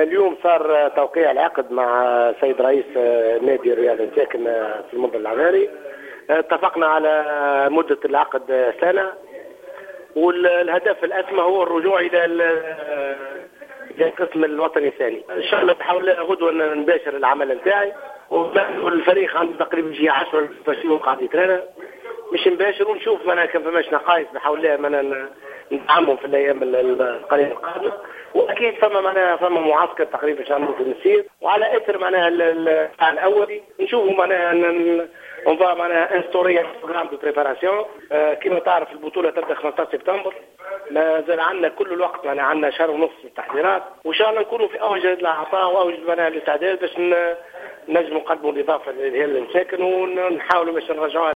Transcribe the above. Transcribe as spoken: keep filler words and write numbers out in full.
اليوم صار توقيع العقد مع السيد رئيس نادي الرياض المساكن في المنذر العماري. اتفقنا على مدة العقد سنة، والهدف الأسمى هو الرجوع إلى إلى القسم الوطني الثاني. إن شاء الله بحول غدوة نباشر العمل نتاعي، والفريق عنده تقريبا شي عشرة يوم قاعد يترانا، مش نباشر ونشوف معناها كان فماش نقائص بحول الله معناها ندعمهم في الايام القليلة القادمه. واكيد فما معناها فما معسكر تقريبا باش نعملوا في المسير، وعلى اثر معناها الاولي نشوفوا معناها on va معناها instaurer programme de préparation. كما تعرف البطولة تبدا خمسطاش سبتمبر، مازال عندنا كل الوقت، معناها عندنا شهر ونص التحضيرات، وان شاء الله نكونوا في اوج العطاء واوج معناها الاستعداد باش نجموا نقدموا الاضافة للهلال المساكن ونحاولوا باش نرجعوها.